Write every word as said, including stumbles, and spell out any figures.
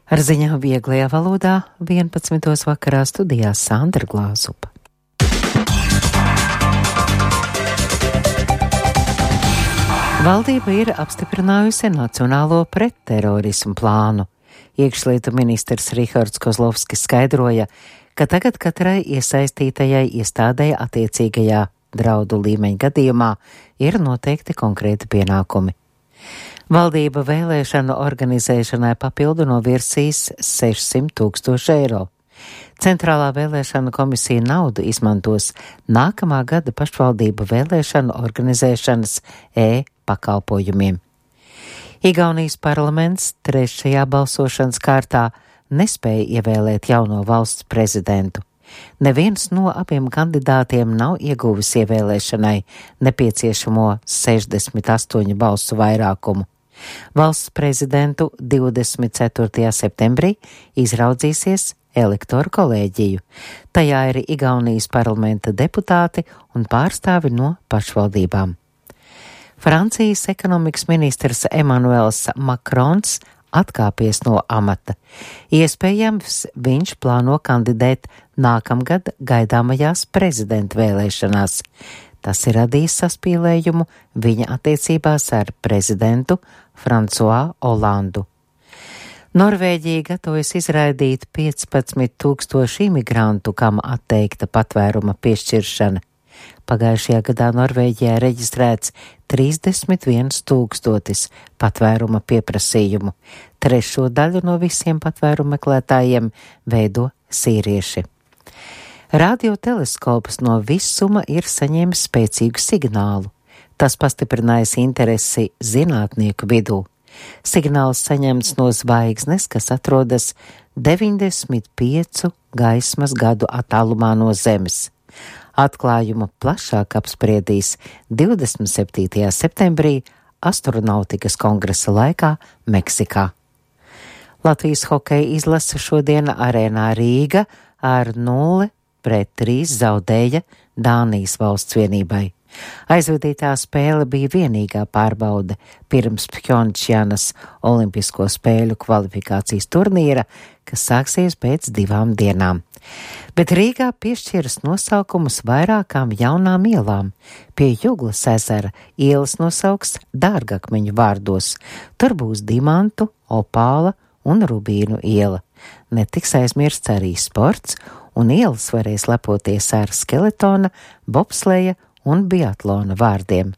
Ar ziņām vieglajā valodā vienpadsmitos vakarā studijā Sandra Glāzupa. Valdība ir apstiprinājusi Nacionālo pretterorismu plānu. Iekšlietu ministrs Rihards Kozlovskis skaidroja, ka tagad katrai iesaistītajai iestādei attiecīgajā draudu līmeņa gadījumā ir noteikti konkrēti pienākumi. Valdība vēlēšanu organizēšanai papildu novirzīs sešsimt tūkstoši eiro. Centrālā vēlēšana komisija naudu izmantos nākamā gada pašvaldību vēlēšanu organizēšanas e-pakalpojumiem. Igaunijas parlaments trešajā balsošanas kārtā nespēja ievēlēt jauno valsts prezidentu. Neviens no abiem kandidātiem nav ieguvis ievēlēšanai nepieciešamo sešdesmit astoņu balsu vairākumu. Valsts prezidentu divdesmit ceturtajā septembrī izraudzīsies elektoru kolēģiju. Tajā ir Igaunijas parlamenta deputāti un pārstāvi no pašvaldībām. Francijas ekonomikas ministrs Emmanuels Macrons atkāpies no amata. Iespējams, viņš plāno kandidēt nākamgad gaidāmajās prezidenta vēlēšanās. Tas ir radījis saspīlējumu viņa attiecībās ar prezidentu François Hollandu. Norvēģija gatavojas izraidīt piecpadsmit tūkstoši imigrantu, kam atteikta patvēruma piešķiršana. Pagājušajā gadā Norvēģijā reģistrēts trīsdesmit viens tūkstotis patvēruma pieprasījumu. Trešo daļu no visiem patvērumu meklētājiem veido sīrieši. Radioteleskops no visuma ir saņēmis spēcīgu signālu. Tas pastiprinājis interesi zinātnieku vidū. Signāls saņemts no zvaigznes, kas atrodas deviņdesmit piecu gaismas gadu attālumā no Zemes. Atklājumu plašāk apspriedīs divdesmit septītajā septembrī astronautikas kongresa laikā Meksikā. Latvijas hokeja izlase šodien arēnā Rīga ar nulle pret trīs zaudēja Dānijas valsts vienībai. Aizvadītā spēle bija vienīgā pārbaude pirms Pjongčanas olimpisko spēļu kvalifikācijas turnīra, kas sāksies pēc divām dienām. Bet Rīgā piešķiras nosaukumus vairākām jaunām ielām. Pie Juglas ezera ielas nosauks dārgakmeņu vārdos. Tur būs dimantu, opāla un rubīnu iela. Netiks aizmirsts arī sports, un ielas varēs lepoties ar skeletona, bobsleja un biatlona vārdiem.